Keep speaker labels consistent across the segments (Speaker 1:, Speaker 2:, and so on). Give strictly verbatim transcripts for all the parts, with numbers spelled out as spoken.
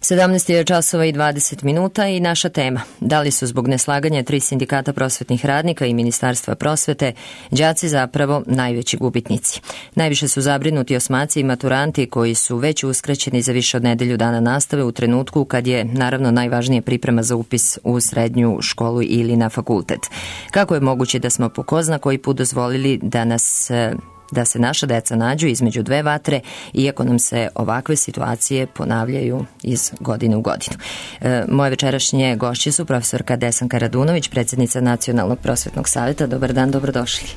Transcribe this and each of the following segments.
Speaker 1: sedamnaest je časova i dvadeset minuta i naša tema. Da li su zbog neslaganja tri sindikata prosvetnih radnika i Ministarstva prosvete đaci zapravo najveći gubitnici? Najviše su zabrinuti osmaci i maturanti koji su već uskraćeni za više od nedelju dana nastave u trenutku kad je naravno najvažnije priprema za upis u srednju školu ili na fakultet. Kako je moguće da smo po ko zna koji put dozvolili da nas da se naša deca nađu između dve vatre, iako nam se ovakve situacije ponavljaju iz godine u godinu. E, moje večerašnje gošće su profesorka Desanka Radunović, predsjednica Nacionalnog prosvetnog savjeta. Dobar dan, dobrodošli.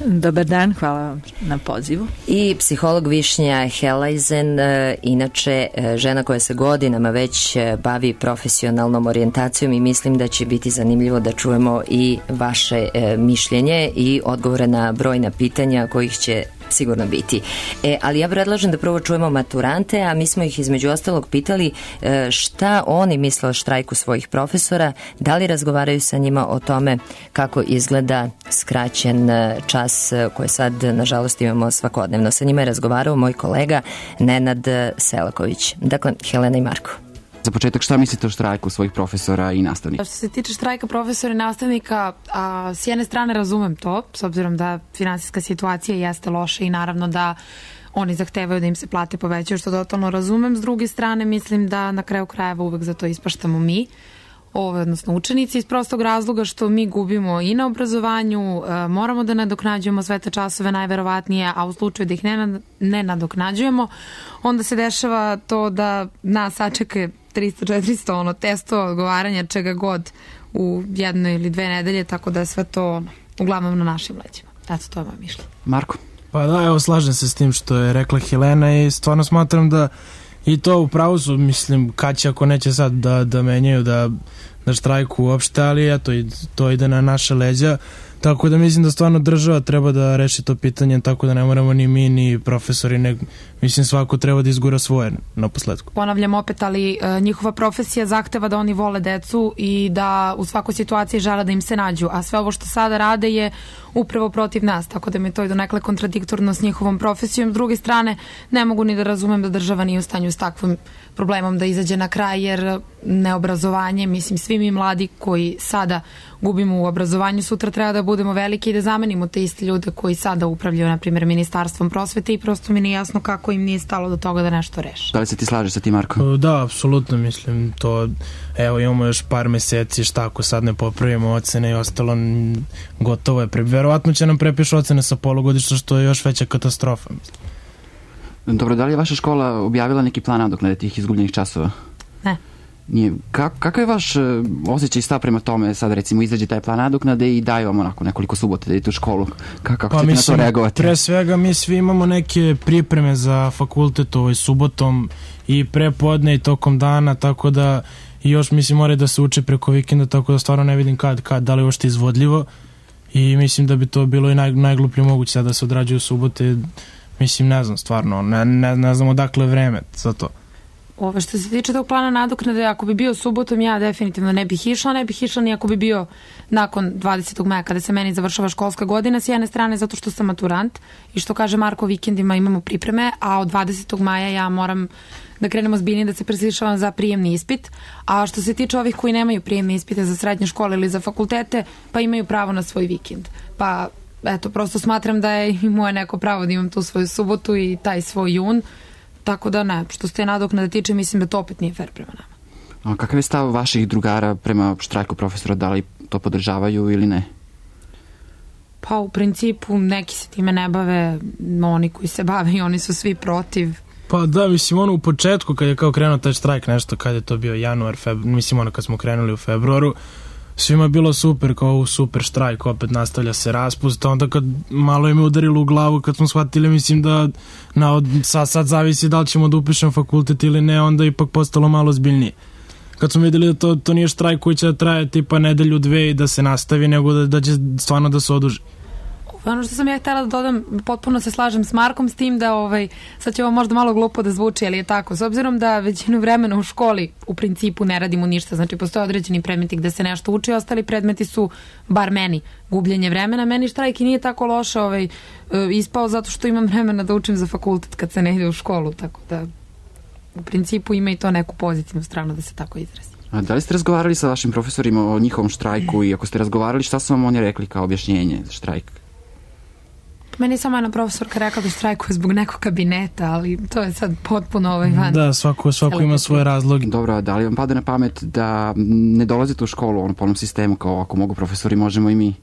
Speaker 2: Dobar dan, hvala vam na pozivu.
Speaker 1: I psiholog Višnja Helajzen, inače žena koja se godinama već bavi profesionalnom orijentacijom i mislim da će biti zanimljivo da čujemo i vaše mišljenje i odgovore na brojna pitanja kojih će sigurno biti. E, ali ja predlažem da prvo čujemo maturante, a mi smo ih između ostalog pitali e, šta oni misle o štrajku svojih profesora, da li razgovaraju sa njima o tome kako izgleda skraćen čas koje sad nažalost imamo svakodnevno. Sa njima je razgovarao moj kolega Nenad Selaković. Dakle, Helena i Marko.
Speaker 3: Za početak, šta mislite o štrajku svojih profesora i nastavnika?
Speaker 4: Što se tiče štrajka profesora i nastavnika, a, s jedne strane razumem to, s obzirom da finansijska situacija jeste loša i naravno da oni zahtevaju da im se plate povećaju, što totalno razumem. S druge strane, mislim da na kraju krajeva uvek za to ispaštamo mi, odnosno učenici, iz prostog razloga što mi gubimo i na obrazovanju, moramo da nadoknađujemo sve te časove najverovatnije, a u slučaju da ih ne, ne nadoknađujemo, onda se dešava to da nas sačeka tristo četiristo ono, testova, odgovaranja, čega god u jednoj ili dve nedelje, tako da je sve to ono, uglavnom na našim leđima. Eto, to je moje mišljenje.
Speaker 3: Marko?
Speaker 5: Pa da, evo, slažem se s tim što je rekla Helena i stvarno smatram da i to upravo su, mislim, kad će ako neće sad da, da menjaju, da, da štrajku uopšte, ali eto, to ide na naše leđa. Tako da mislim da stvarno država treba da reši to pitanje, tako da ne moramo ni mi ni profesori, ne, mislim svako treba da izgura svoje na posledku.
Speaker 4: Ponavljam opet, ali e, njihova profesija zahteva da oni vole decu i da u svakoj situaciji žele da im se nađu, a sve ovo što sada rade je upravo protiv nas, tako da mi to je donekle kontradiktorno s njihovom profesijom. S druge strane, ne mogu ni da razumem da država nije u stanju s takvim problemom da izađe na kraj, jer neobrazovanje, mislim, svi mi mladi koji sada gubimo u obrazovanju, sutra treba da budemo veliki i da zamenimo te iste ljude koji sada upravljaju, na primjer, Ministarstvom prosvete i prosto mi nije jasno kako im nije stalo do toga da nešto reše.
Speaker 3: Da li se ti slažeš sa ti, Marko?
Speaker 5: Da, apsolutno, mislim, to, evo, imamo još par meseci, šta ako sad ne popravimo ocene i ostalo, gotovo je. Verovatno će nam prepišu ocene sa polugodišta, što je još veća katastrofa, mislim.
Speaker 3: Dobro, da li je vaša škola objavila neki plan nadoknade tih izgubljenih časova?
Speaker 4: Ne.
Speaker 3: Nije. Kako, kakav je vaš osjećaj i stav prema tome, sad recimo izađe taj plan nadoknade i daju vam onako nekoliko subota da idete u školu? Kako, kako pa ćete mislim, na to reagovati?
Speaker 5: Pre svega mi svi imamo neke pripreme za fakultet ovaj subotom i prepodne i tokom dana, tako da i još mislim mora da se uče preko vikenda, tako da stvarno ne vidim kad, kad da li je ošte izvodljivo i mislim da bi to bilo i naj, najgluplje moguće sad da se odrađuju subote. Mislim, ne znam, stvarno, ne, ne, ne znam odakle vreme za to.
Speaker 4: Ove, što se tiče tog plana nadoknade, ako bi bio subotom, ja definitivno ne bih išla, ne bih išla ni ako bi bio nakon dvadesetog maja, kada se meni završava školska godina, s jedne strane zato što sam maturant i što kaže Marko, vikendima imamo pripreme, a od dvadesetog maja ja moram da krenemo zbiljnije, da se preslišavam za prijemni ispit, a što se tiče ovih koji nemaju prijemne ispite za srednje škole ili za fakultete, pa imaju pravo na svoj vikend. Pa eto, prosto smatram da je i moje neko pravo da imam tu svoju subotu i taj svoj jun, tako da ne, što se te nadoknade tiče, mislim da to opet nije fair prema nama.
Speaker 3: A kakav je stav vaših drugara prema štrajku profesora, da li to podržavaju ili ne?
Speaker 4: Pa u principu neki se time ne bave, oni koji se bave i oni su svi protiv.
Speaker 5: Pa da, mislim, ono u početku kad je kao krenuo taj štrajk nešto, kad je to bio januar, februar, mislim ono kad smo krenuli u februaru, svima je bilo super, kao super štrajk, opet nastavlja se raspust, onda kad malo im je udarilo u glavu, kad smo shvatili, mislim da na, sad, sad zavisi da li ćemo da upišem fakultet ili ne, onda ipak postalo malo zbiljnije. Kad smo videli da to, to nije štrajk koji će da traje tipa nedelju, dve i da se nastavi, nego da, da će stvarno da se oduži.
Speaker 4: Ono što sam ja htjela da dodam, potpuno se slažem s Markom s tim da, ovaj, sad će ovo možda malo glupo da zvuči, ali je tako. S obzirom da većinu vremena u školi u principu ne radimo ništa, znači postoje određeni predmeti gde se nešto uči, ostali predmeti su, bar meni, gubljenje vremena. Meni štrajk i nije tako loše ovaj, ispao zato što imam vremena da učim za fakultet kad se ne ide u školu, tako da u principu ima i to neku pozitivnu stranu, da se tako izrazi.
Speaker 3: A da li ste razgovarali sa vašim profesorima o njihovom štrajku i ako ste razgovarali, šta su vam oni rekli kao objašnjenje za štrajk?
Speaker 4: Meni je samo jedna profesorka rekla da štrajkuje zbog nekog kabineta, ali to je sad potpuno ovaj van.
Speaker 5: Da, svako, svako ima svoje razloge.
Speaker 3: Dobro, da li vam pada na pamet da ne dolazite u školu ono, po onom sistemu kao ako mogu profesori, možemo i mi?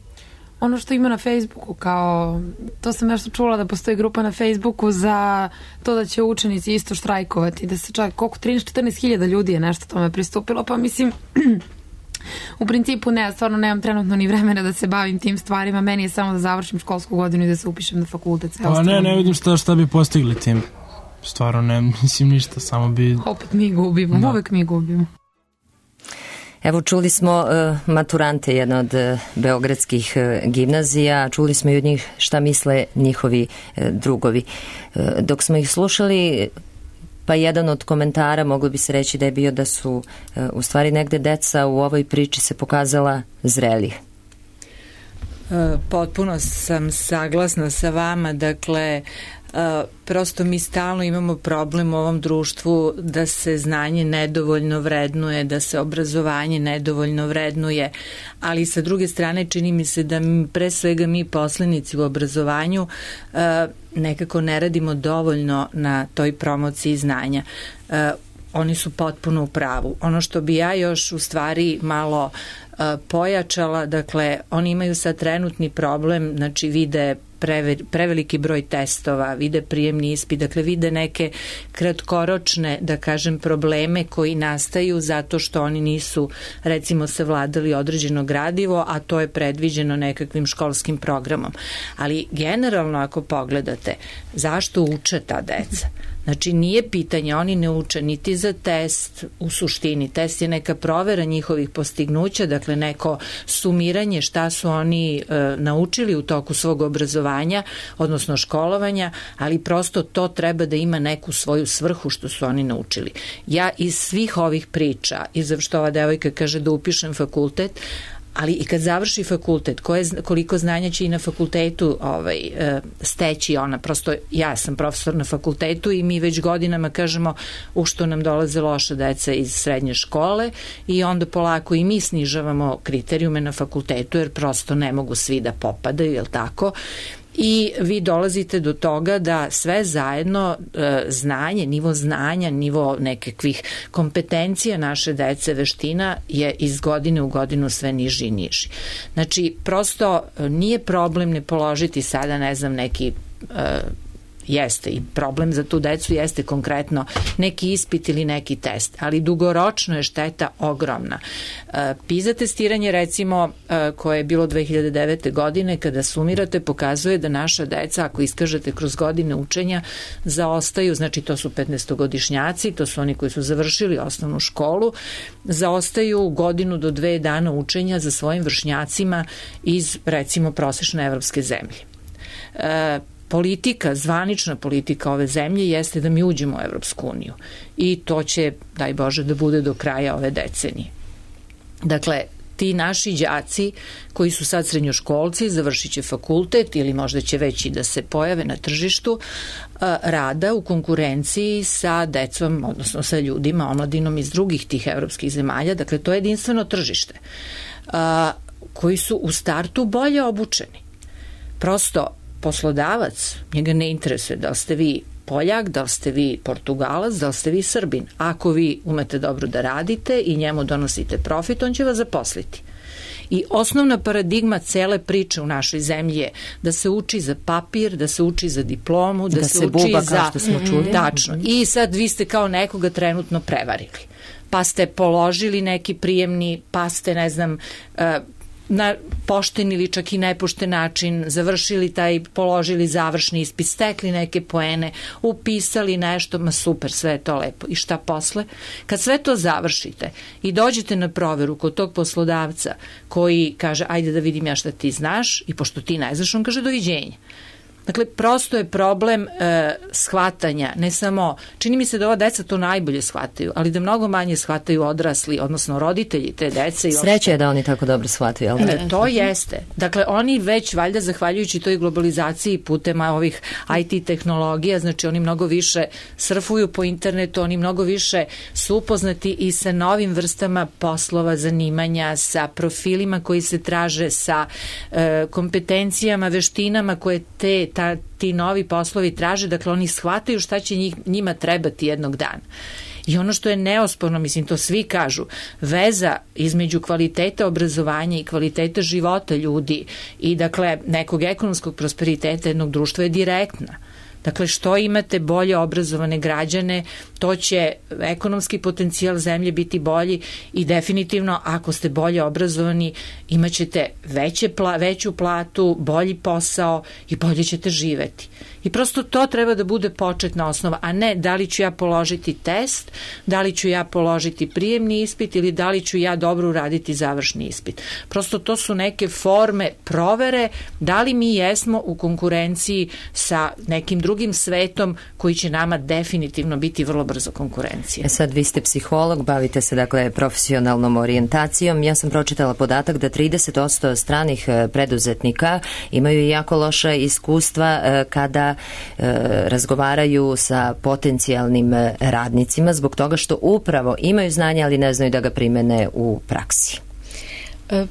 Speaker 4: Ono što ima na Facebooku, kao, to sam nešto čula da postoji grupa na Facebooku za to da će učenici isto štrajkovati, da se čak koliko trinaest do četrnaest hiljada ljudi je nešto tome pristupilo, pa mislim u principu ne, stvarno nemam trenutno ni vremena da se bavim tim stvarima, meni je samo da završim školsku godinu i da se upišem na fakultet.
Speaker 5: Pa ne, ne vidim šta, šta bi postigli tim. Stvarno ne, mislim ništa, samo bi...
Speaker 4: Opet mi gubimo, da. Uvek mi gubimo.
Speaker 1: Evo, čuli smo uh, maturante jedne od uh, beogradskih uh, gimnazija, čuli smo i od njih šta misle njihovi uh, drugovi. Uh, dok smo ih slušali, pa jedan od komentara moglo bi se reći da je bio da su uh, u stvari negde deca u ovoj priči se pokazala zrelih.
Speaker 2: Potpuno sam saglasna sa vama, dakle Uh, prosto mi stalno imamo problem u ovom društvu da se znanje nedovoljno vrednuje, da se obrazovanje nedovoljno vrednuje, ali sa druge strane čini mi se da mi, pre svega mi poslanici u obrazovanju uh, nekako ne radimo dovoljno na toj promociji znanja. Uh, oni su potpuno u pravu. Ono što bi ja još u stvari malo uh, pojačala, dakle oni imaju sad trenutni problem, znači vide preveliki broj testova, vide prijemni ispit, dakle vide neke kratkoročne, da kažem, probleme koji nastaju zato što oni nisu, recimo, savladali određeno gradivo, a to je predviđeno nekakvim školskim programom. Ali generalno ako pogledate, zašto uče ta deca? Znači nije pitanje, oni ne uče niti za test u suštini. Test je neka provera njihovih postignuća, dakle neko sumiranje šta su oni e, naučili u toku svog obrazovanja, odnosno školovanja, ali prosto to treba da ima neku svoju svrhu što su oni naučili. Ja iz svih ovih priča, i za što ova devojka kaže da upišem fakultet, ali i kad završi fakultet, koje, koliko znanja će i na fakultetu ovaj, steći ona, prosto ja sam profesor na fakultetu i mi već godinama kažemo u što nam dolaze loša deca iz srednje škole i onda polako i mi snižavamo kriterijume na fakultetu jer prosto ne mogu svi da popadaju, jel tako? I vi dolazite do toga da sve zajedno e, znanje, nivo znanja, nivo nekakvih kompetencija naše dece, veština je iz godine u godinu sve niži i niži. Znači, prosto nije problem ne položiti sada, ne znam, neki... E, jeste i problem za tu decu jeste konkretno neki ispit ili neki test, ali dugoročno je šteta ogromna. PISA testiranje recimo koje je bilo dve hiljade devete godine kada sumirate pokazuje da naša deca ako iskažete kroz godine učenja zaostaju, znači to su petnaestogodišnjaci, to su oni koji su završili osnovnu školu, zaostaju godinu do dve dana učenja za svojim vršnjacima iz recimo prosečne evropske zemlje. E, Politika, zvanična politika ove zemlje jeste da mi uđemo u Evropsku uniju i to će, daj Bože, da bude do kraja ove decenije. Dakle, ti naši đaci koji su sad srednjoškolci, završit će fakultet ili možda će već i da se pojave na tržištu rada u konkurenciji sa decom, odnosno sa ljudima, omladinom iz drugih tih evropskih zemalja, dakle to je jedinstveno tržište, koji su u startu bolje obučeni. Prosto, poslodavac, njega ne interesuje da li ste vi Poljak, da li ste vi Portugalac, da li ste vi Srbin. Ako vi umete dobro da radite i njemu donosite profit, on će vas zaposliti. I osnovna paradigma cele priče u našoj zemlji je da se uči za papir, da se uči za diplomu, da, da se, se uči buba, za... Što smo čuli. Tačno. I sad vi ste kao nekoga trenutno prevarili. Pa ste položili neki prijemni, pa ste, ne znam... Uh, na pošten ili čak i nepošten način završili taj, položili završni ispit, stekli neke poene, upisali nešto, ma super, sve je to lepo. I šta posle? Kad sve to završite i dođete na proveru kod tog poslodavca koji kaže, ajde da vidim ja šta ti znaš i pošto ti ne znaš, on kaže doviđenja. Dakle, prosto je problem e, shvatanja, ne samo, čini mi se da ova deca to najbolje shvataju, ali da mnogo manje shvataju odrasli, odnosno roditelji te dece. I
Speaker 1: Sreće je da oni tako dobro shvataju, ali
Speaker 2: ne, to jeste. Dakle, oni već, valjda, zahvaljujući toj globalizaciji putem ovih I T tehnologija, znači oni mnogo više surfuju po internetu, oni mnogo više su upoznati i sa novim vrstama poslova, zanimanja, sa profilima koji se traže, sa e, kompetencijama, veštinama koje te Ta, ti novi poslovi traže, dakle oni shvataju šta će njih, njima trebati jednog dana. I ono što je neosporno, mislim, to svi kažu, veza između kvaliteta obrazovanja i kvaliteta života ljudi i dakle nekog ekonomskog prosperiteta jednog društva je direktna. Dakle, što imate bolje obrazovane građane, to će ekonomski potencijal zemlje biti bolji i definitivno ako ste bolje obrazovani imat ćete veće pla, veću platu, bolji posao i bolje ćete živeti. I prosto to treba da bude početna osnova, a ne da li ću ja položiti test, da li ću ja položiti prijemni ispit ili da li ću ja dobro uraditi završni ispit. Prosto to su neke forme provere da li mi jesmo u konkurenciji sa nekim drugim svetom koji će nama definitivno biti vrlo brzo konkurencija.
Speaker 1: E sad, vi ste psiholog, bavite se dakle profesionalnom orijentacijom. Ja sam pročitala podatak da trideset posto stranih preduzetnika imaju jako loša iskustva kada razgovaraju sa potencijalnim radnicima zbog toga što upravo imaju znanje, ali ne znaju da ga primene u praksi.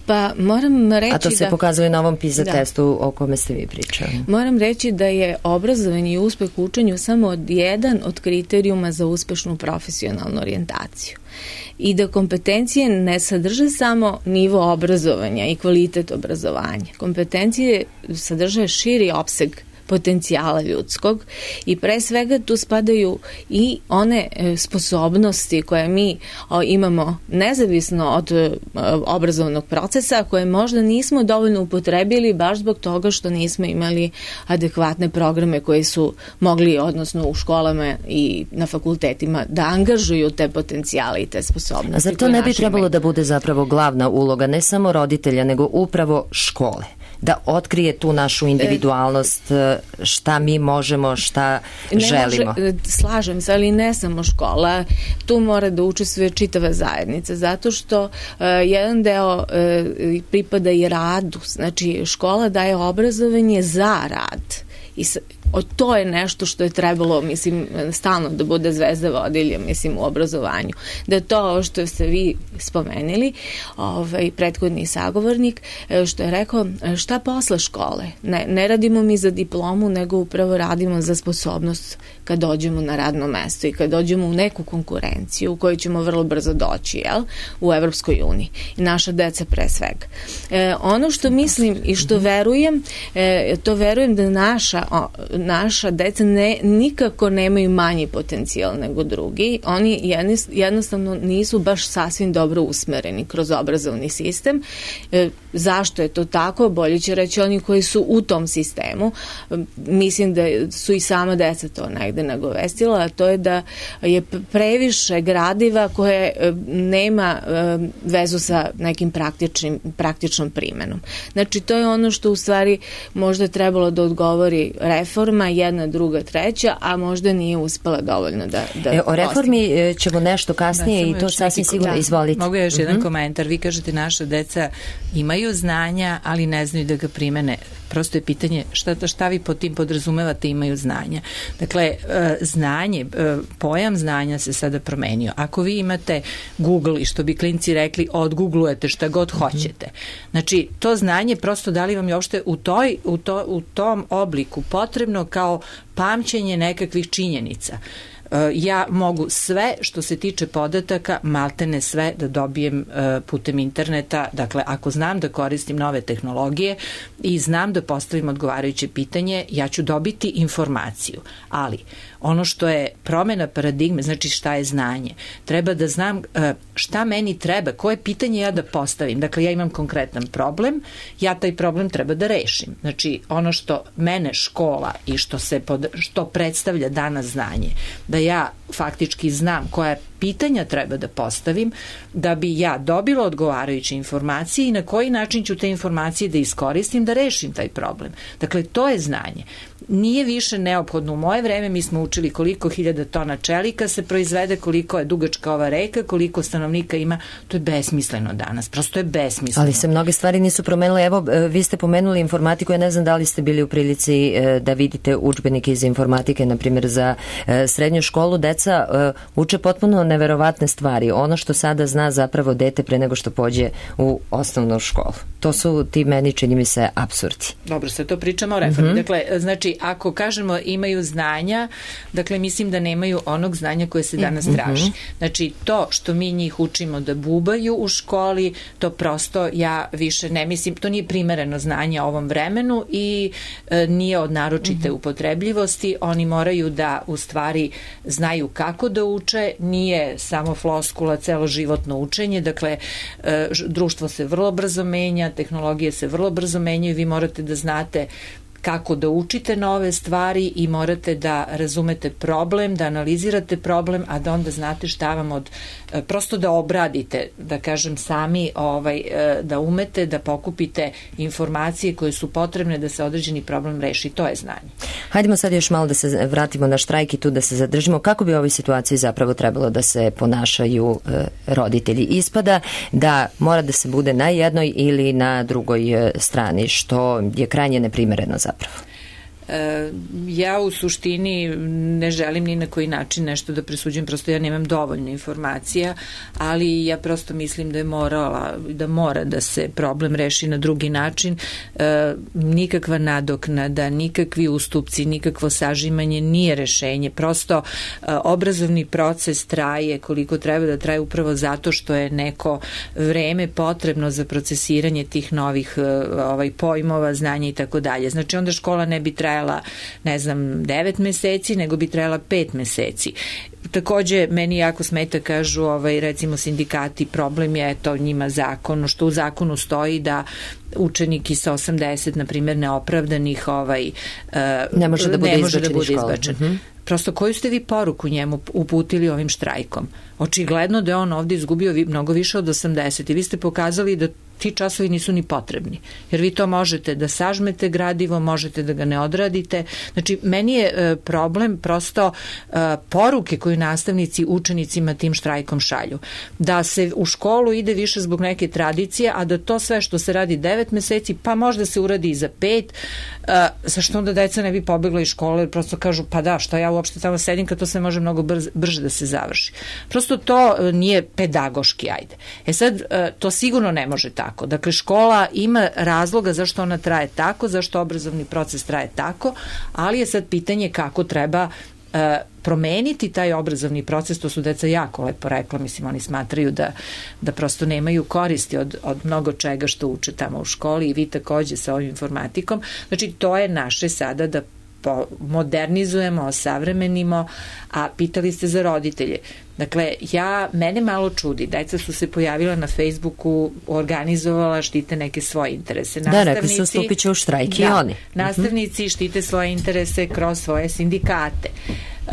Speaker 6: Pa moram reći da...
Speaker 1: A to se da, pokazuje na ovom PISA da. testu o kome ste vi pričali.
Speaker 6: Moram reći da je obrazovanje i uspeh u učenju samo od jedan od kriterijuma za uspešnu profesionalnu orijentaciju. I da kompetencije ne sadrže samo nivo obrazovanja i kvalitet obrazovanja. Kompetencije sadrže širi opseg potencijala ljudskog i pre svega tu spadaju i one sposobnosti koje mi imamo nezavisno od obrazovnog procesa, koje možda nismo dovoljno upotrebili baš zbog toga što nismo imali adekvatne programe koji su mogli, odnosno u školama i na fakultetima, da angažuju te potencijale i te sposobnosti.
Speaker 1: A zar to ne bi trebalo da bude zapravo glavna uloga ne samo roditelja, nego upravo škole? Da otkrije tu našu individualnost, šta mi možemo, šta ne želimo.
Speaker 6: Može, slažem se, ali ne samo škola, tu mora da učestvuje čitava zajednica, zato što uh, jedan deo uh, pripada i radu, znači škola daje obrazovanje za rad i sa, o, to je nešto što je trebalo, mislim, stalno da bude zvezda vodilja, mislim, u obrazovanju. Da to što ste vi spomenuli, ovaj, prethodni sagovornik, što je rekao, šta posle škole? Ne, ne radimo mi za diplomu, nego upravo radimo za sposobnost kad dođemo na radno mesto i kad dođemo u neku konkurenciju u kojoj ćemo vrlo brzo doći, jel? U Evropskoj uniji. I naša deca pre svega. E, ono što mislim i što verujem, e, to verujem da naša o, naša deca ne, nikako nemaju manji potencijal nego drugi. Oni jednostavno nisu baš sasvim dobro usmereni kroz obrazovni sistem. E, zašto je to tako? Bolje će reći oni koji su u tom sistemu. E, mislim da su i sama deca to negde nagovestila, a to je da je previše gradiva koje e, nema e, vezu sa nekim praktičnim, praktičnom primenom. Znači, to je ono što u stvari možda trebalo da odgovori reforma, jedna, druga, treća, a možda nije uspela dovoljno da, da
Speaker 1: e, o reformi postigne. Ćemo nešto kasnije da, i to sasvim sigurno, da. Izvolite.
Speaker 2: Mogu još jedan
Speaker 1: uh-huh.
Speaker 2: komentar. Vi kažete naša deca imaju znanja, ali ne znaju da ga primene. Prosto je pitanje šta, šta vi pod tim podrazumevate imaju znanja. Dakle, znanje, pojam znanja se sada promenio. Ako vi imate Google i što bi klinci rekli, odgooglujete šta god hoćete. Znači, to znanje prosto da li vam je uopšte u, toj, u, to, u tom obliku potrebno kao pamćenje nekakvih činjenica. Ja mogu sve što se tiče podataka, maltene sve da dobijem putem interneta. Dakle, ako znam da koristim nove tehnologije i znam da postavim odgovarajuće pitanje, ja ću dobiti informaciju. Ali ono što je promena paradigme, znači šta je znanje, treba da znam šta meni treba, koje pitanje ja da postavim. Dakle, ja imam konkretan problem, ja taj problem treba da rešim. Znači, ono što mene škola i što se pod, što predstavlja danas znanje, da ja faktički znam koja je pitanja treba da postavim da bi ja dobila odgovarajuće informacije i na koji način ću te informacije da iskoristim da rešim taj problem. Dakle, to je znanje. Nije više neophodno. U moje vreme mi smo učili koliko hiljada tona čelika se proizvede, koliko je dugačka ova reka, koliko stanovnika ima. To je besmisleno danas. Prosto je besmisleno.
Speaker 1: Ali se mnoge stvari nisu promenile. Evo, vi ste pomenuli informatiku. Ja ne znam da li ste bili u prilici da vidite udžbenike iz informatike, na primjer za srednju školu. Deca uče potpuno neverovatne stvari. Ono što sada zna zapravo dete pre nego što pođe u osnovnu školu. To su ti meni, čini mi se, apsurdi.
Speaker 2: Dobro, sad to pričamo o reformi. Mm-hmm. Dakle, znači, ako kažemo imaju znanja, dakle, mislim da nemaju onog znanja koje se danas mm-hmm. traži. Znači, to što mi njih učimo da bubaju u školi, to prosto ja više ne mislim, to nije primereno znanje ovom vremenu i e, nije od naročite mm-hmm. upotrebljivosti. Oni moraju da u stvari znaju kako da uče, nije samo floskula celoživotno učenje, dakle, e, društvo se vrlo brzo menja, tehnologije se vrlo brzo menjaju, vi morate da znate kako da učite nove stvari i morate da razumete problem, da analizirate problem, a da onda znate šta vam od, prosto da obradite, da kažem sami, ovaj, da umete da pokupite informacije koje su potrebne da se određeni problem reši. To je znanje.
Speaker 1: Hajdemo sad još malo da se vratimo na štrajk i tu da se zadržimo. Kako bi u ovoj situaciji zapravo trebalo da se ponašaju e, roditelji? Ispada da mora da se bude na jednoj ili na drugoj strani, što je krajnje neprimereno zapravo.
Speaker 2: Ja u suštini ne želim ni na koji način nešto da presuđujem, prosto ja nemam dovoljno informacija, ali ja prosto mislim da je morala, da mora da se problem reši na drugi način. E, nikakva nadoknada, nikakvi ustupci, nikakvo sažimanje nije rešenje. Prosto e, obrazovni proces traje koliko treba da traje upravo zato što je neko vreme potrebno za procesiranje tih novih e, ovaj, pojmova, znanja i tako dalje. Znači onda škola ne bi trajala ne znam, devet meseci, nego bi trajala pet meseci. Takođe, meni jako smeta, kažu, ovaj, recimo sindikati, problem je to njima zakon, što u zakonu stoji da učenik sa osamdeset, na primjer, neopravdanih ovaj,
Speaker 1: ne može da bude,
Speaker 2: ne može
Speaker 1: izbačen,
Speaker 2: da bude izbačen.
Speaker 1: Mm-hmm.
Speaker 2: Prosto, koju ste vi poruku njemu uputili ovim štrajkom? Očigledno da je on ovde izgubio vi, mnogo više od osamdeset i vi ste pokazali da ti časovi nisu ni potrebni, jer vi to možete da sažmete gradivo, možete da ga ne odradite. Znači, meni je e, problem prosto e, poruke koju nastavnici učenicima tim štrajkom šalju. Da se u školu ide više zbog neke tradicije, a da to sve što se radi devet meseci, pa možda se uradi i za pet, e, zašto onda deca ne bi pobegla iz škole, jer prosto kažu, pa da, što ja uopšte tamo sedim kad to sve može mnogo brz, brže da se završi. Prosto to e, nije pedagoški, ajde. E sad, e, to sigurno ne može tako. Dakle, škola ima razloga zašto ona traje tako, zašto obrazovni proces traje tako, ali je sad pitanje kako treba e, promeniti taj obrazovni proces. To su deca jako lepo rekla, mislim, oni smatraju da, da prosto nemaju koristi od, od mnogo čega što uče tamo u školi i vi takođe sa ovim informatikom. Znači, to je naše sada da modernizujemo, osavremenimo, a pitali ste za roditelje. Dakle, ja, mene malo čudi, deca su se pojavila na Facebooku, organizovala, štite neke svoje interese.
Speaker 1: Da, rekli su stupit će u štrajk i oni.
Speaker 2: Nastavnici štite svoje interese kroz svoje sindikate. Uh,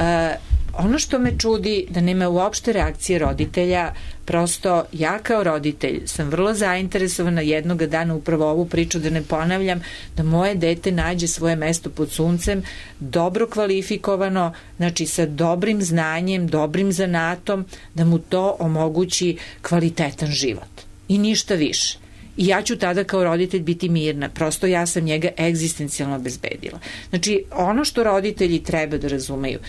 Speaker 2: ono što me čudi, da nema uopšte reakcije roditelja, prosto ja kao roditelj sam vrlo zainteresovana jednog dana upravo ovu priču, da ne ponavljam, da moje dete nađe svoje mesto pod suncem, dobro kvalifikovano, znači sa dobrim znanjem, dobrim zanatom, da mu to omogući kvalitetan život. I ništa više. I ja ću tada kao roditelj biti mirna. Prosto ja sam njega egzistencijalno obezbedila. Znači, ono što roditelji treba da razumeju,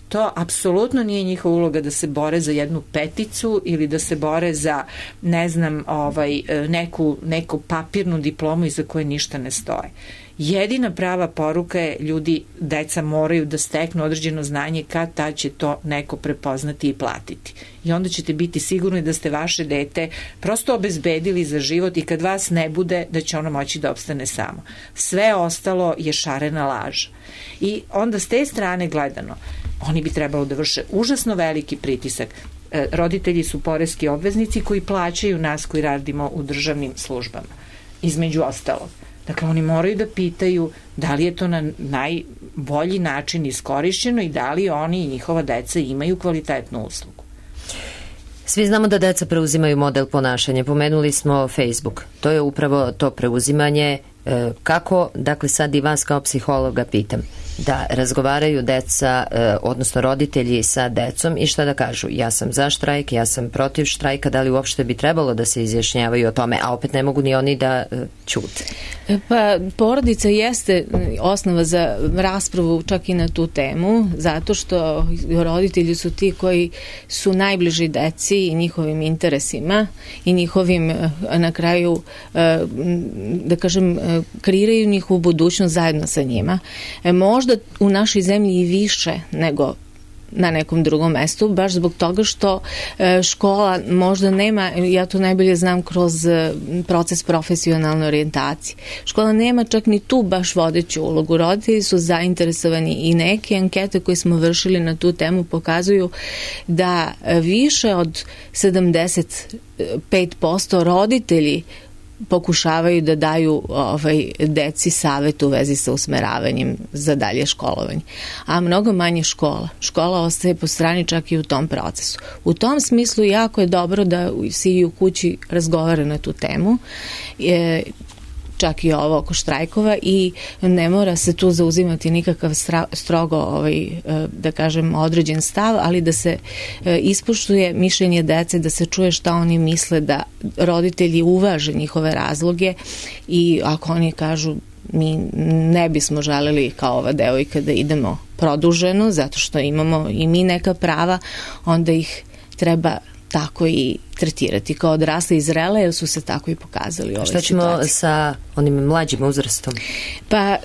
Speaker 2: to apsolutno nije njihova uloga da se bore za jednu peticu ili da se bore za, ne znam, ovaj, neku, neku papirnu diplomu iza koje ništa ne stoje. Jedina prava poruka je, ljudi, deca moraju da steknu određeno znanje, kad ta će to neko prepoznati i platiti. I onda ćete biti sigurni da ste vaše dete prosto obezbedili za život i kad vas ne bude, da će ono moći da opstane samo. Sve ostalo je šarena laža. I onda s te strane gledano, oni bi trebalo da vrše užasno veliki pritisak. E, roditelji su poreski obveznici koji plaćaju nas koji radimo u državnim službama, između ostalog. Dakle, oni moraju da pitaju da li je to na najbolji način iskorišćeno i da li oni i njihova deca imaju kvalitetnu uslugu.
Speaker 1: Svi znamo da deca preuzimaju model ponašanja. Pomenuli smo Facebook. To je upravo to preuzimanje. Kako, dakle sad i vas kao psihologa pitam, da razgovaraju deca, odnosno roditelji sa decom i šta da kažu? Ja sam za štrajk, ja sam protiv štrajka, da li uopšte bi trebalo da se izjašnjavaju o tome, a opet ne mogu ni oni da ćute?
Speaker 6: Pa porodica jeste osnova za raspravu čak i na tu temu, zato što roditelji su ti koji su najbliži deci i njihovim interesima i njihovim, na kraju, da kažem, kreiraju njihovu budućnost zajedno sa njima. Možda u našoj zemlji i više nego na nekom drugom mestu, baš zbog toga što škola možda nema, ja to najbolje znam kroz proces profesionalne orijentacije, škola nema čak ni tu baš vodeću ulogu. Roditelji su zainteresovani i neke ankete koje smo vršili na tu temu pokazuju da više od sedamdeset pet posto roditelji pokušavaju da daju ovaj, deci savet u vezi sa usmeravanjem za dalje školovanje. A mnogo manje škola. Škola ostaje po strani čak i u tom procesu. U tom smislu jako je dobro da se i u kući razgovara na tu temu. E, čak i ovo oko štrajkova i ne mora se tu zauzimati nikakav strogo, ovaj, da kažem, određen stav, ali da se ispoštuje mišljenje dece, da se čuje šta oni misle, da roditelji uvaže njihove razloge i ako oni kažu mi ne bismo želeli kao ova devojka da idemo produženo zato što imamo i mi neka prava, onda ih treba tako i tretirati kao odrasle i zrele, jer su se tako i pokazali u ovoj situaciji. Šta ćemo
Speaker 1: sa onim mlađim uzrastom?
Speaker 6: Pa,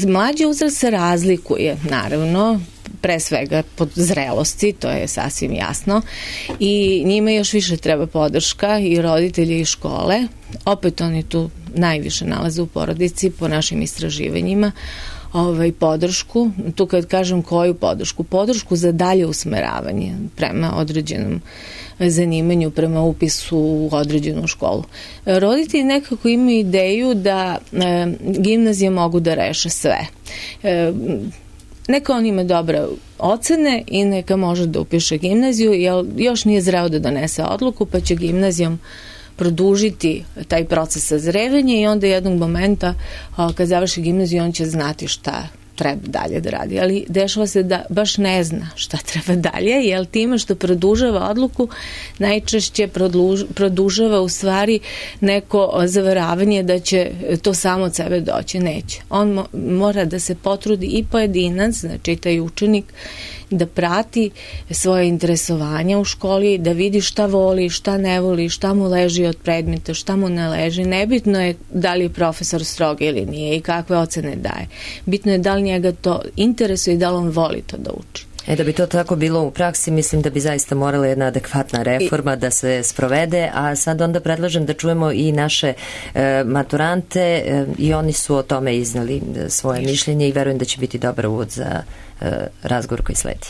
Speaker 6: mlađi uzrast se razlikuje, naravno, pre svega pod zrelosti, to je sasvim jasno, i njima još više treba podrška i roditelji i škole. Opet oni tu najviše nalaze u porodici po našim istraživanjima. Ovaj, podršku, tu kad kažem koju podršku, podršku za dalje usmeravanje prema određenom zanimanju, prema upisu u određenu školu. Roditelji nekako imaju ideju da e, gimnazije mogu da reše sve. E, neka on ima dobre ocene i neka može da upiše gimnaziju, jer još nije zreo da donese odluku, pa će gimnazijom produžiti taj proces sazrevanja i onda jednog momenta kad završi gimnaziju on će znati šta treba dalje da radi. Ali dešava se da baš ne zna šta treba dalje, jer time što produžava odluku najčešće produž, produžava u stvari neko zavaravanje da će to samo od sebe doći. Neće. On mo, mora da se potrudi i pojedinac, znači taj učenik, da prati svoje interesovanja u školi, da vidi šta voli, šta ne voli, šta mu leži od predmeta, šta mu ne leži. Nebitno je da li je profesor strog ili nije i kakve ocene daje. Bitno je da li njega to interesuje i da li on voli to da uči.
Speaker 1: E, da bi to tako bilo u praksi, mislim da bi zaista morala jedna adekvatna reforma I... da se sprovede, a sad onda predlažem da čujemo i naše e, maturante e, i oni su o tome iznali svoje Iš. mišljenje i verujem da će biti dobar uvod za e, razgovor koji sledi.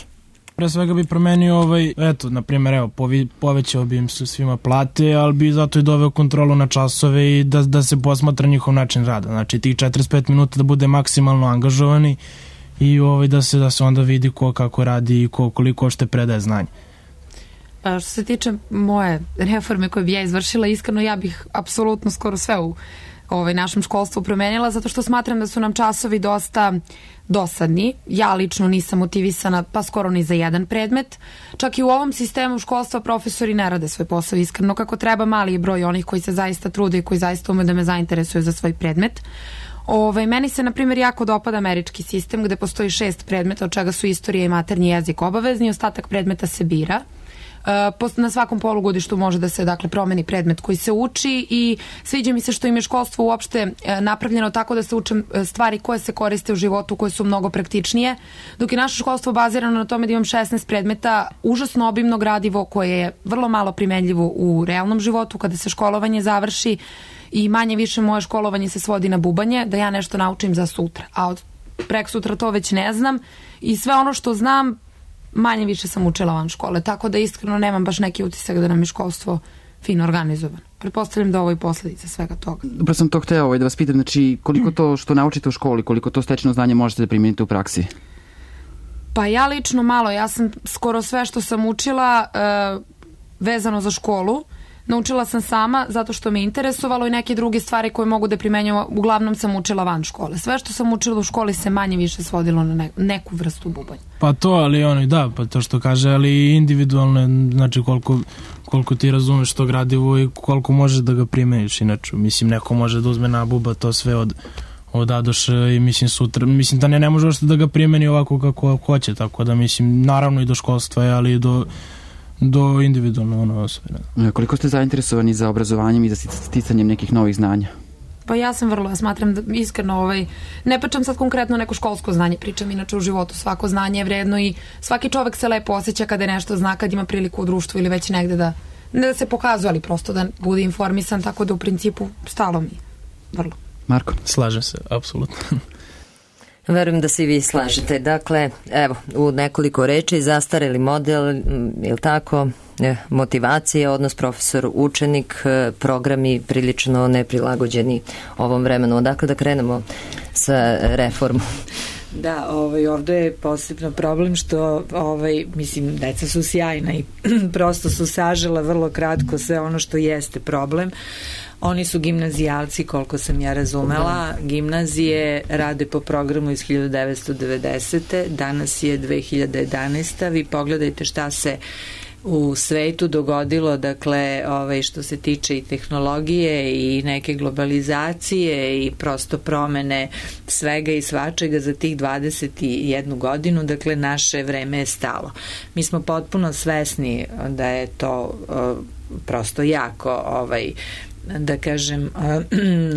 Speaker 5: Pre svega bi promenio ovaj, eto, na primjer, evo, povi, povećao bi im su svima plate, ali bi zato i doveo kontrolu na časove i da, da se posmatra njihov način rada. Znači, tih četrdeset pet minuta da bude maksimalno angažovani i ovaj, da se da se onda vidi ko kako radi i ko koliko ošte predaje znanje.
Speaker 4: A što se tiče moje reforme koje bi ja izvršila, iskreno ja bih apsolutno skoro sve u ovaj, našem školstvu promenila, zato što smatram da su nam časovi dosta dosadni. Ja lično nisam motivisana pa skoro ni za jedan predmet. Čak i u ovom sistemu školstva profesori ne rade svoj posao iskreno kako treba. Mali je broj onih koji se zaista trude i koji zaista ume da me zainteresuju za svoj predmet. Ove, meni se, na primjer, jako dopada američki sistem gde postoji šest predmeta, od čega su istorija i maternji jezik obavezni, ostatak predmeta se bira. E, na svakom polugodištu može da se, dakle, promeni predmet koji se uči i sviđa mi se što im je školstvo uopšte napravljeno tako da se uče stvari koje se koriste u životu, koje su mnogo praktičnije, dok je naše školstvo bazirano na tome da imam šesnaest predmeta, užasno obimno gradivo koje je vrlo malo primenljivo u realnom životu kada se školovanje završi i manje više moje školovanje se svodi na bubanje, da ja nešto naučim za sutra. A od prek sutra to već ne znam i sve ono što znam manje više sam učila van škole, tako da iskreno nemam baš neki utisak da nam je školstvo fino organizovano. Pretpostavljam da ovo je posledica svega toga.
Speaker 3: Dobro sam to hteo ovaj, da vas pitam, znači koliko to što naučite u školi, koliko to stečeno znanje možete da primijenite u praksi?
Speaker 4: Pa ja lično malo, ja sam skoro sve što sam učila uh, vezano za školu. Naučila sam sama zato što me interesovalo i neke druge stvari koje mogu da primenjujem, uglavnom sam učila van škole. Sve što sam učila u školi se manje više svodilo na ne, neku vrstu bubanja.
Speaker 5: Pa to, ali ono, da, pa to što kaže, ali individualno, znači koliko, koliko ti razumeš to gradivo i koliko možeš da ga primeniš, inače, mislim, neko može da uzme na buba to sve od od A do Š i mislim sutra, mislim da ne, ne može uopšte da ga primeni ovako kako hoće, tako da mislim, naravno i do školstva je, ali i do do individualno ono sve.
Speaker 3: Koliko ste zainteresovani za obrazovanjem i za sticanjem nekih novih znanja?
Speaker 4: Pa ja sam vrlo, ja smatram da iskreno, ovaj, ne pričam sad konkretno neko školsko znanje, pričam inače u životu, svako znanje je vredno i svaki čovek se lepo osjeća kada je nešto zna, kad ima priliku u društvu ili već negde da, ne da se pokazuje, ali prosto da bude informisan, tako da u principu stalo mi je, vrlo.
Speaker 3: Marko?
Speaker 5: Slažem se, apsolutno.
Speaker 1: Verujem da se i vi slažete. Dakle, evo, u nekoliko reči, zastareli model, je li tako, motivacije, odnos profesor-učenik, programi prilično neprilagođeni ovom vremenu. Odakle da krenemo sa reformom?
Speaker 2: Da, ovaj, ovdje je posebno problem što, ovaj, mislim, deca su sjajna i prosto su sažela vrlo kratko sve ono što jeste problem. Oni su gimnazijalci, koliko sam ja razumela. Gimnazije rade po programu iz hiljadu devetsto devedesete. Danas je dve hiljade jedanaesta. Vi pogledajte šta se u svetu dogodilo, dakle, ovaj, što se tiče i tehnologije i neke globalizacije i prosto promene svega i svačega za tih dvadeset jednu godinu, dakle, naše vreme je stalo. Mi smo potpuno svesni da je to uh, prosto jako ovaj, da kažem,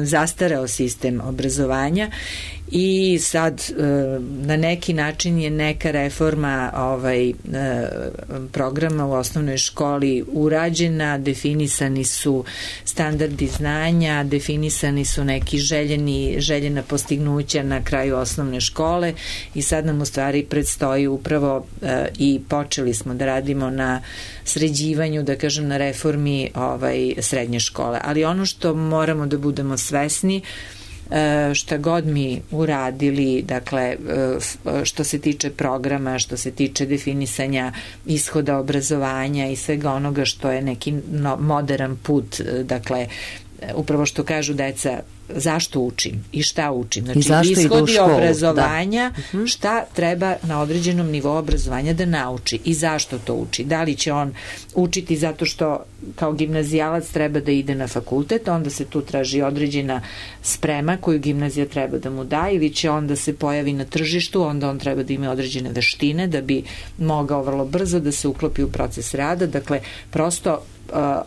Speaker 2: zastareo sistem obrazovanja i sad na neki način je neka reforma ovaj, programa u osnovnoj školi urađena, definisani su standardi znanja, definisani su neki željeni, željena postignuća na kraju osnovne škole i sad nam u stvari predstoji upravo i počeli smo da radimo na sređivanju, da kažem, na reformi ovaj, srednje škole. Ali ono što moramo da budemo svesni, šta god mi uradili, dakle, što se tiče programa, što se tiče definisanja ishoda obrazovanja i svega onoga što je neki modern put, dakle, upravo što kažu deca, zašto učim i šta učim. Znači, ishodi obrazovanja, da. Šta treba na određenom nivou obrazovanja da nauči i zašto to uči. Da li će on učiti zato što kao gimnazijalac treba da ide na fakultet, onda se tu traži određena sprema koju gimnazija treba da mu da, ili će on da se pojavi na tržištu, onda on treba da ima određene veštine da bi mogao vrlo brzo da se uklopi u proces rada. Dakle, prosto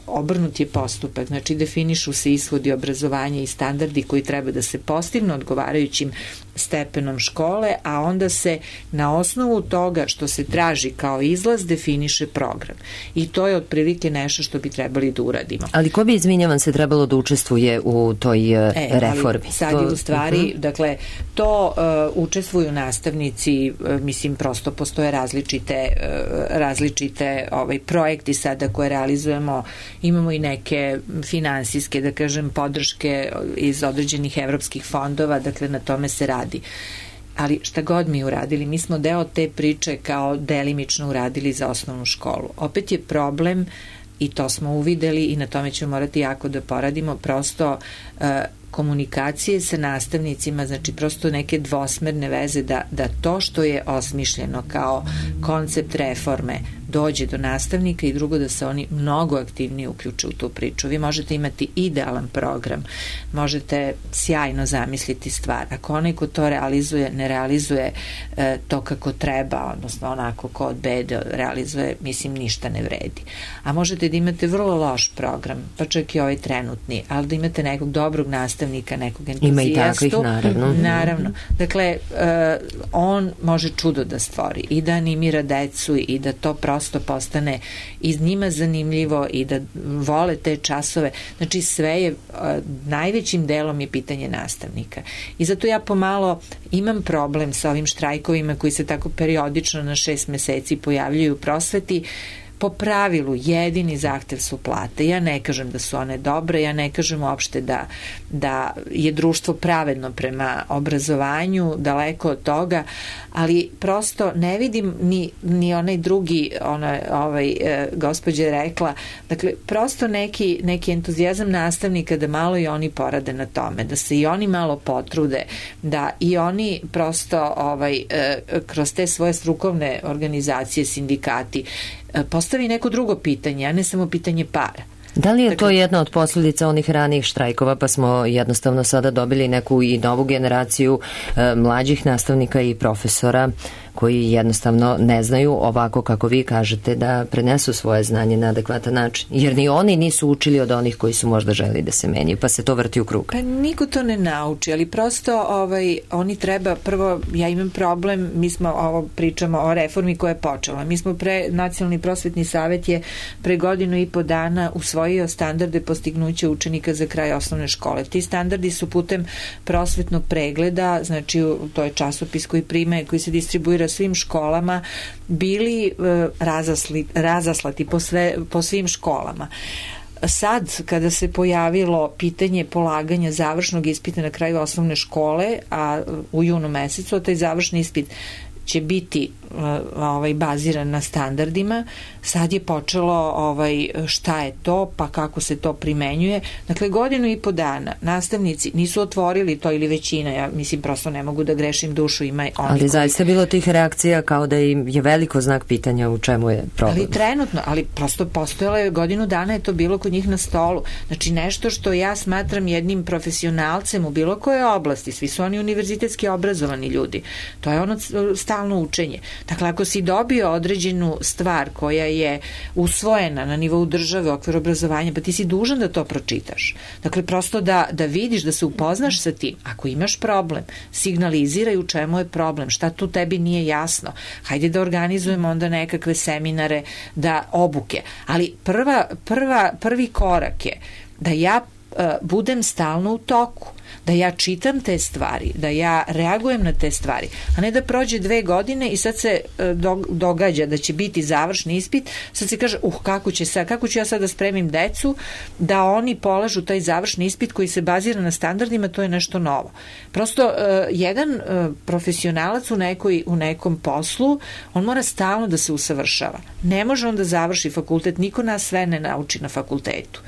Speaker 2: obrnut je postupak, znači definišu se ishodi obrazovanja i standardi koji treba da se postignu odgovarajućim stepenom škole, a onda se na osnovu toga što se traži kao izlaz definiše program. I to je otprilike nešto što bi trebali da uradimo.
Speaker 1: Ali ko bi, izvinjavam se, trebalo da učestvuje u toj e, reformi?
Speaker 2: Ali sad je u stvari, uh-huh. dakle, to uh, učestvuju nastavnici, uh, mislim, prosto postoje različite, uh, različite ovaj, projekti sada koje realizujemo. Imamo i neke finansijske, da kažem, podrške iz određenih evropskih fondova, dakle, na tome se radi. Ali šta god mi uradili, mi smo deo te priče kao delimično uradili za osnovnu školu. Opet je problem, i to smo uvideli i na tome ćemo morati jako da poradimo, prosto uh, komunikacije sa nastavnicima, znači prosto neke dvosmerne veze da, da to što je osmišljeno kao koncept reforme dođe do nastavnika i drugo da se oni mnogo aktivnije uključe u tu priču. Vi možete imati idealan program, možete sjajno zamisliti stvar. Ako onaj ko to realizuje, ne realizuje e, to kako treba, odnosno onako ko od bede realizuje, mislim, ništa ne vredi. A možete da imate vrlo loš program, pa čak i ovaj trenutni, ali da imate nekog dobrog nastavnika, nekog entuzijastu.
Speaker 1: Ima i takvih, naravno.
Speaker 2: Naravno. Dakle, e, on može čudo da stvori i da animira decu i da to prosto postane iz njima zanimljivo i da vole te časove. Znači, sve je, a, najvećim delom je pitanje nastavnika. I zato ja pomalo imam problem sa ovim štrajkovima koji se tako periodično na šest meseci pojavljuju u prosveti. po pravilu jedini zahtev su plate. Ja ne kažem da su one dobre, ja ne kažem uopšte da, da je društvo pravedno prema obrazovanju, daleko od toga, ali prosto ne vidim ni, ni onaj drugi, ona, ovaj, e, gospođa je rekla, dakle, prosto neki, neki entuzijazam nastavnika da malo i oni porade na tome, da se i oni malo potrude, da i oni prosto ovaj, e, kroz te svoje strukovne organizacije, sindikati, e, postavi neko drugo pitanje, a ne samo pitanje para.
Speaker 1: Da li je to jedna od posljedica onih ranijih štrajkova, pa smo jednostavno sada dobili neku i novu generaciju e, mlađih nastavnika i profesora koji jednostavno ne znaju ovako kako vi kažete da prenesu svoje znanje na adekvatan način. Jer ni oni nisu učili od onih koji su možda želi da se menjaju, pa se to vrti u krug.
Speaker 2: Pa niko to ne nauči, ali prosto ovaj, oni treba, prvo ja imam problem, mi smo ovo pričamo o reformi koja je počela. Mi smo pre, Nacionalni prosvetni savet je pre godinu i po dana usvojio standarde postignuća učenika za kraj osnovne škole. Ti standardi su putem prosvetnog pregleda, znači to je časopis koji prime, koji se distribuira svim školama, bili e, razasli, razaslati po, sve, po svim školama. Sad, kada se pojavilo pitanje polaganja završnog ispita na kraju osnovne škole, a u junu mesecu, taj završni ispit će biti ovaj, baziran na standardima, sad je počelo ovaj, šta je to, pa kako se to primenjuje. Dakle, godinu i po dana nastavnici nisu otvorili to, ili većina, ja mislim prosto ne mogu da grešim dušu, ima oni
Speaker 1: ali koji... zaista je bilo tih reakcija kao da im je veliko znak pitanja u čemu je problem.
Speaker 2: Ali trenutno, ali prosto postojalo je godinu dana, je to bilo kod njih na stolu. Znači nešto što ja smatram jednim profesionalcem u bilo kojoj oblasti, svi su oni univerzitetski obrazovani ljudi, to je ono stalno učenje. Dakle, ako si dobio određenu stvar koja je usvojena na nivou države u okviru obrazovanja, pa ti si dužan da to pročitaš. Dakle, prosto da, da vidiš, da se upoznaš sa tim. Ako imaš problem, signaliziraj u čemu je problem, šta tu tebi nije jasno. Hajde da organizujemo onda nekakve seminare, da obuke. Ali prva, prva, prvi korak je da ja uh, budem stalno u toku, da ja čitam te stvari, da ja reagujem na te stvari, a ne da prođe dve godine i sad se događa da će biti završni ispit, sad se kaže, uh, kako će sad, kako ću ja sad da spremim decu da oni polažu taj završni ispit koji se bazira na standardima, to je nešto novo. Prosto, uh, jedan uh, profesionalac u, nekoj, u nekom poslu, on mora stalno da se usavršava. Ne može on da završi fakultet, niko nas sve ne nauči na fakultetu.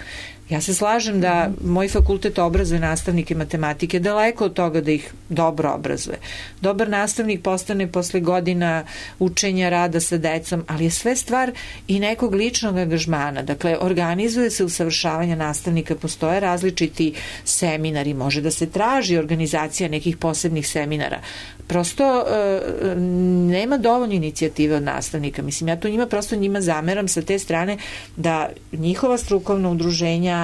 Speaker 2: Ja se slažem da moj fakultet obrazuje nastavnike matematike, daleko od toga da ih dobro obrazuje. Dobar nastavnik postane posle godina učenja, rada sa decom, ali je sve stvar i nekog ličnog angažmana. Dakle, organizuje se usavršavanje nastavnika, postoje različiti seminari, može da se traži organizacija nekih posebnih seminara. Prosto e, nema dovoljno inicijative od nastavnika. Mislim, ja to njima prosto njima zameram sa te strane da njihova strukovna udruženja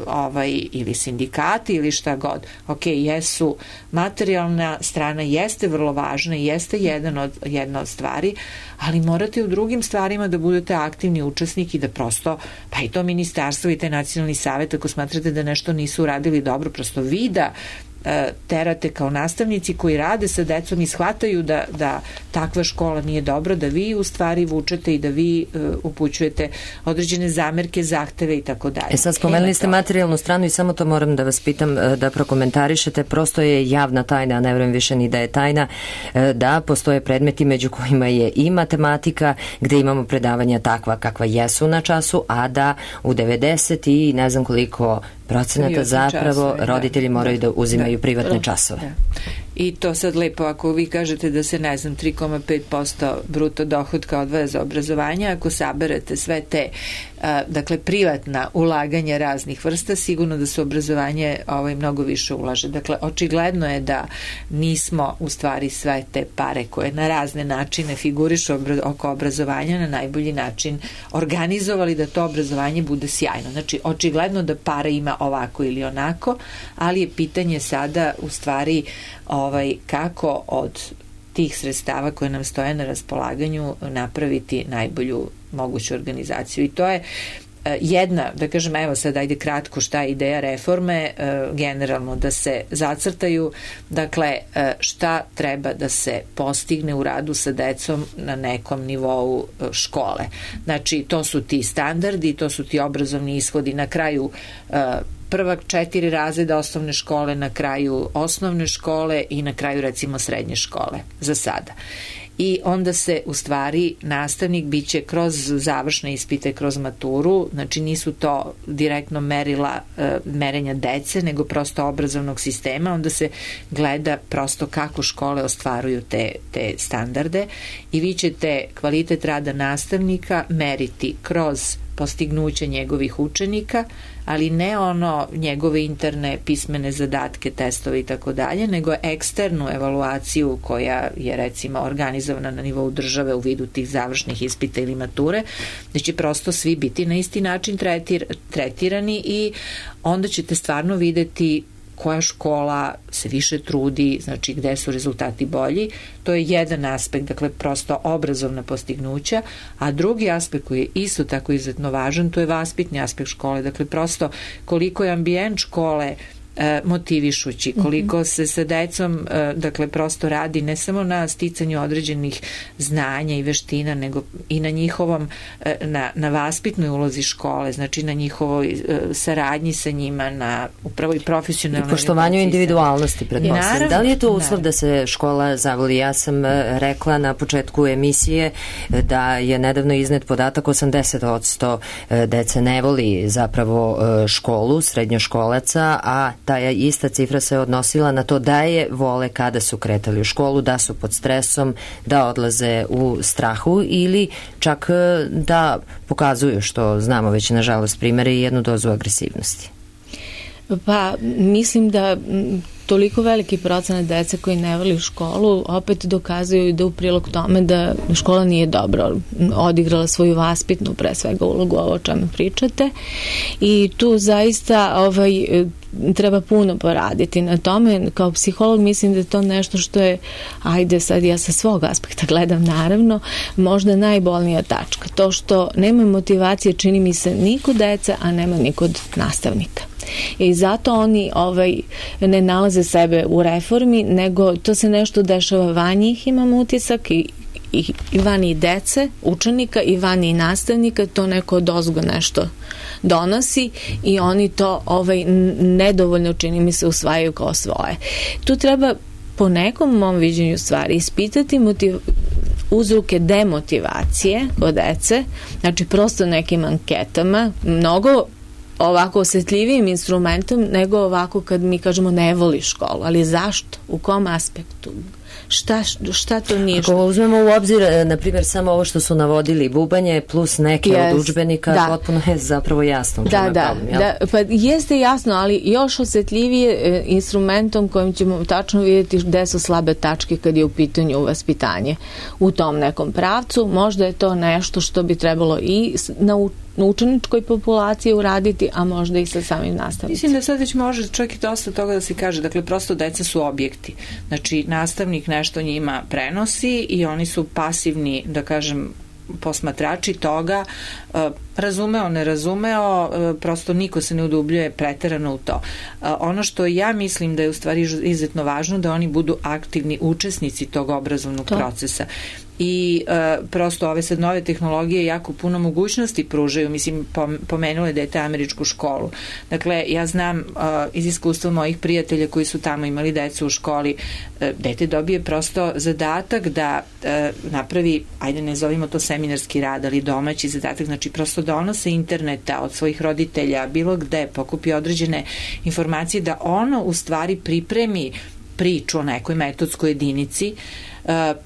Speaker 2: ovaj, ili sindikati ili šta god, ok, jesu, materijalna strana jeste vrlo važna i jeste jedan od, jedna od stvari, ali morate u drugim stvarima da budete aktivni učesnik i da prosto, pa i to ministarstvo i taj nacionalni savet, ako smatrate da nešto nisu uradili dobro, prosto vi da terate kao nastavnici koji rade sa decom i shvataju da, da takva škola nije dobra, da vi u stvari vučete i da vi uh, upućujete određene zamerke, zahteve i tako dalje.
Speaker 1: E sad spomenuli ste materijalnu stranu i samo to moram da vas pitam da prokomentarišete, prosto je javna tajna, a ne vrem više ni da je tajna, da postoje predmeti među kojima je i matematika, gde imamo predavanja takva kakva jesu na času, a da u devedeset i ne znam koliko procenata zapravo časove, roditelji da, moraju da, da uzimaju da, privatne da, časove. Da.
Speaker 2: I to sad lepo, ako vi kažete da se, ne znam, tri zarez pet posto bruto dohotka odvaja za obrazovanje, ako saberete sve te, a, dakle, privatna ulaganja raznih vrsta, sigurno da se obrazovanje ovaj, mnogo više ulaže. Dakle, očigledno je da nismo u stvari sve te pare koje na razne načine figurišu oko obrazovanja na najbolji način organizovali da to obrazovanje bude sjajno. Znači, očigledno da pare ima ovako ili onako, ali je pitanje sada u stvari ovaj, kako od tih sredstava koje nam stoje na raspolaganju napraviti najbolju moguću organizaciju. I to je jedna, da kažem, evo sad ajde kratko šta je ideja reforme, generalno da se zacrtaju, dakle šta treba da se postigne u radu sa decom na nekom nivou škole. Znači to su ti standardi, to su ti obrazovni ishodi na kraju prva četiri razreda osnovne škole, na kraju osnovne škole i na kraju recimo srednje škole za sada. I onda se u stvari nastavnik biće kroz završne ispite, kroz maturu, znači nisu to direktno merila e, merenja dece, nego prosto obrazovnog sistema, onda se gleda prosto kako škole ostvaruju te, te standarde i vi ćete kvalitet rada nastavnika meriti kroz postignuće njegovih učenika, ali ne ono njegove interne pismene zadatke, testove i tako dalje, nego eksternu evaluaciju koja je recimo organizovana na nivou države u vidu tih završnih ispita ili mature, da će prosto svi biti na isti način tretir, tretirani i onda ćete stvarno videti koja škola se više trudi, znači gde su rezultati bolji. To je jedan aspekt, dakle prosto obrazovna postignuća, a drugi aspekt koji je isto tako izuzetno važan, to je vaspitni aspekt škole, dakle prosto koliko je ambijent škole motivišući, koliko se sa decom dakle prosto radi ne samo na sticanju određenih znanja i veština, nego i na njihovom na, na vaspitnoj ulozi škole, znači na njihovoj saradnji sa njima, na upravo i profesionalnoj
Speaker 1: i poštovanju individualnosti, pretpostavljam. Da li je to uslov
Speaker 2: naravno
Speaker 1: da se škola zavoli? Ja sam rekla na početku emisije da je nedavno iznet podatak osamdeset posto dece ne voli zapravo školu, srednjoškolaca, a ta ista cifra se odnosila na to da je vole kada su kretali u školu, da su pod stresom, da odlaze u strahu ili čak da pokazuju, što znamo već nažalost primere, i jednu dozu agresivnosti.
Speaker 6: Pa mislim da toliko veliki procenat dece koji ne voli školu opet dokazuju da u prilog tome da škola nije dobro odigrala svoju vaspitnu pre svega ulogu, ovo o čemu pričate, i tu zaista ovaj treba puno poraditi na tome. Kao psiholog mislim da je to nešto što je, ajde sad ja sa svog aspekta gledam naravno, možda najbolnija tačka. To što nema motivacije, čini mi se, ni kod deca, a nema ni kod nastavnika. I zato oni ovaj, ne nalaze sebe u reformi, nego to se nešto dešava van njih, imam utisak, i i, i vani dece, učenika, i vani nastavnika, to neko odozgo nešto donosi i oni to ovaj, nedovoljno, čini mi se, usvajaju kao svoje. Tu treba po nekom mom viđenju stvari ispitati motiv, uzroke demotivacije kod dece, znači prosto nekim anketama, mnogo ovako osjetljivijim instrumentom nego ovako kad mi kažemo ne voli školu, ali zašto? U kom aspektu? Šta, šta to nije?
Speaker 1: Ako uzmemo u obzir, na primjer, samo ovo što su navodili, bubanje plus neke yes, od udžbenika, da, potpuno je zapravo jasno.
Speaker 6: Da, da, problem, da, pa jeste jasno, ali još osjetljivije e, instrumentom kojim ćemo tačno vidjeti gde su slabe tačke kad je u pitanju vaspitanje u tom nekom pravcu. Možda je to nešto što bi trebalo i naučiti na učeničkoj populaciji uraditi, a možda i sa samim nastavnicima.
Speaker 2: Mislim da sad već može čak i dosta toga da se kaže, dakle prosto deca su objekti, znači nastavnik nešto njima prenosi i oni su pasivni, da kažem, posmatrači toga, razumeo, ne razumeo, prosto niko se ne udubljuje preterano u to. Ono što ja mislim da je u stvari izuzetno važno, da oni budu aktivni učesnici tog obrazovnog to. procesa. I e, prosto ove sad nove tehnologije jako puno mogućnosti pružaju, mislim, pomenule dete američku školu. Dakle, ja znam e, iz iskustva mojih prijatelja koji su tamo imali decu u školi, e, dete dobije prosto zadatak da e, napravi, ajde ne zovimo to seminarski rad, ali domaći zadatak, znači prosto donose interneta od svojih roditelja, bilo gde, pokupi određene informacije, da ono u stvari pripremi priču o nekoj metodskoj jedinici,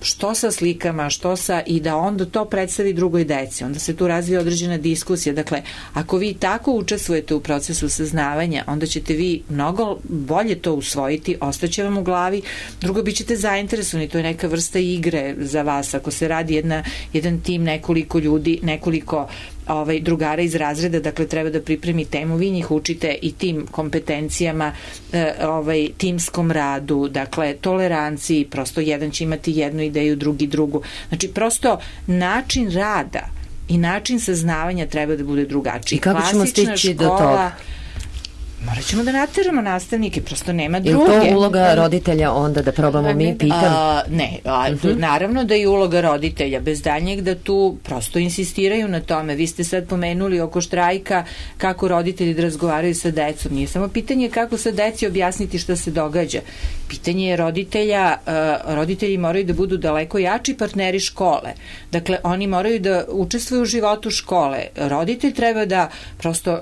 Speaker 2: što sa slikama, što sa, i da onda to predstavi drugoj deci. Onda se tu razvija određena diskusija. Dakle, ako vi tako učestvujete u procesu saznavanja, onda ćete vi mnogo bolje to usvojiti, ostaće vam u glavi. Drugo, bit ćete zainteresovani, to je neka vrsta igre za vas. Ako se radi jedna, jedan tim, nekoliko ljudi, nekoliko ovaj, drugara iz razreda, dakle treba da pripremi temu, vi njih učite i tim kompetencijama, ovaj, timskom radu, dakle toleranciji, prosto jedan će imati jednu ideju, drugi drugu. Znači prosto način rada i način saznavanja treba da bude drugačiji.
Speaker 1: I kako ćemo stići do toga?
Speaker 2: Morat ćemo da nateramo nastavnike, prosto nema druge.
Speaker 1: Je li to uloga roditelja onda da probamo mi, pitam? A,
Speaker 2: ne, a, uh -huh. naravno da je uloga roditelja, bez daljnjeg da tu prosto insistiraju na tome. Vi ste sad pomenuli oko štrajka kako roditelji da razgovaraju sa decom. Nije samo pitanje kako sa deci objasniti šta se događa. Pitanje je roditelja, uh, roditelji moraju da budu daleko jači partneri škole. Dakle, oni moraju da učestvuju u životu škole. Roditelj treba da prosto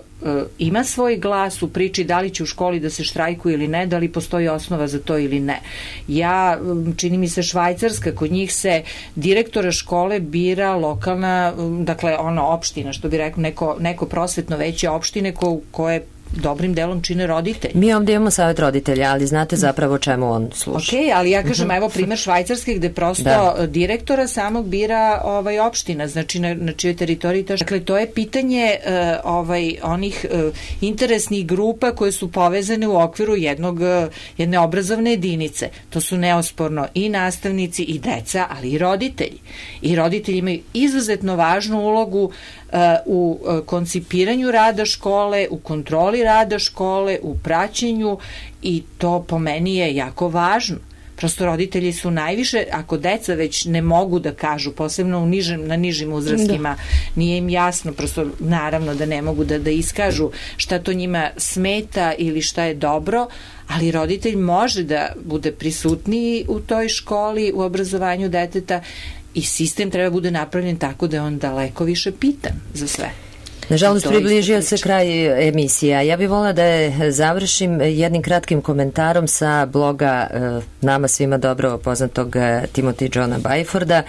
Speaker 2: ima svoj glas u priči da li će u školi da se štrajkuje ili ne, da li postoji osnova za to ili ne. Ja, čini mi se Švajcarska, kod njih se direktora škole bira lokalna, dakle ono opština, što bi rekao, neko, neko prosvetno veće opštine ko, koje dobrim delom čine roditelji.
Speaker 1: Mi ovdje imamo savjet roditelja, ali znate zapravo čemu on služi.
Speaker 2: Ok, ali ja kažem, uh-huh. evo primer Švajcarske gde prosto da. direktora samog bira ovaj opština, znači na, na čijoj teritoriji to. Dakle, to je pitanje uh, ovaj, onih uh, interesnih grupa koje su povezane u okviru jednog, uh, jedne obrazovne jedinice. To su neosporno i nastavnici i deca, ali i roditelji. I roditelji imaju izuzetno važnu ulogu u koncipiranju rada škole, u kontroli rada škole, u praćenju i to po meni je jako važno. Prosto roditelji su najviše, ako deca već ne mogu da kažu, posebno u nižem, na nižim uzrastima, da. nije im jasno, prosto naravno da ne mogu da, da iskažu šta to njima smeta ili šta je dobro, ali roditelj može da bude prisutniji u toj školi, u obrazovanju deteta i sistem treba bude napravljen tako da je on daleko više pitan za sve.
Speaker 1: Nažalost, približio se kraj emisija. Ja bih volila da je završim jednim kratkim komentarom sa bloga nama svima dobro poznatog Timothy Johna Byforda,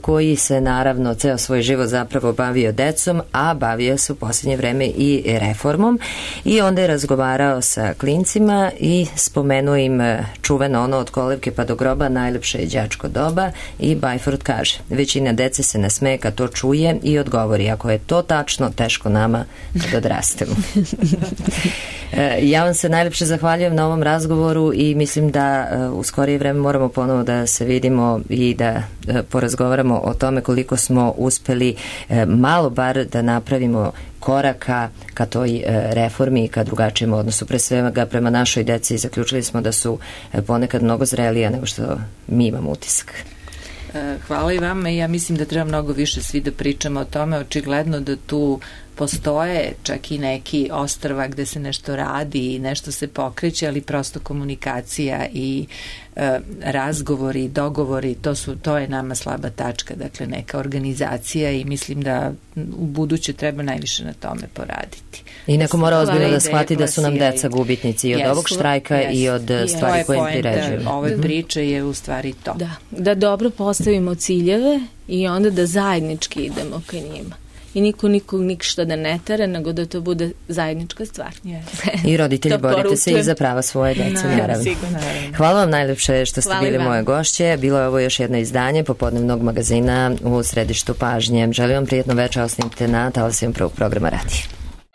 Speaker 1: koji se naravno ceo svoj život zapravo bavio decom, a bavio se u posljednje vreme i reformom i onda je razgovarao sa klincima i spomenuo im čuveno ono od kolevke pa do groba, najlepše je đačko doba, i Byford kaže, većina dece se nasmeje kad to čuje i odgovori, ako je to tačno, teško nama kad odrastemo. Ja vam se najlepše zahvaljujem na ovom razgovoru i mislim da u skorije vreme moramo ponovo da se vidimo i da porazgovaramo o tome koliko smo uspeli malo bar da napravimo koraka ka toj reformi i ka drugačijem odnosu. Pre svega prema našoj deci zaključili smo da su ponekad mnogo zrelija nego što mi imamo utisak.
Speaker 2: Hvala i vama i ja mislim da treba mnogo više svi da pričamo o tome. Očigledno da tu postoje čak i neki ostrva gde se nešto radi i nešto se pokreće, ali prosto komunikacija i e, razgovori, dogovori, to su, to je nama slaba tačka, dakle neka organizacija i mislim da u buduće treba najviše na tome poraditi.
Speaker 1: I neko mora ozbiljno da shvati da su nam deca gubitnici i od yes, ovog štrajka yes, i od yes, stvari koje im priređuju.
Speaker 2: Ove mm-hmm. priče je u stvari to.
Speaker 6: Da, da dobro postavimo ciljeve i onda da zajednički idemo ka njima. I niko nikog ništa da ne tere, nego da to bude zajednička stvar.
Speaker 2: Yes.
Speaker 1: I roditelji borite se i za prava svoje dece, no, naravno.
Speaker 2: Sigurno.
Speaker 1: Hvala vam najlepše što ste
Speaker 6: Hvala
Speaker 1: bili
Speaker 6: vam.
Speaker 1: moje gošće. Bilo je ovo još jedno izdanje popodnevnog magazina u središtu pažnje. Želim vam prijetno večer, ostanite na talasima prvog programa radija.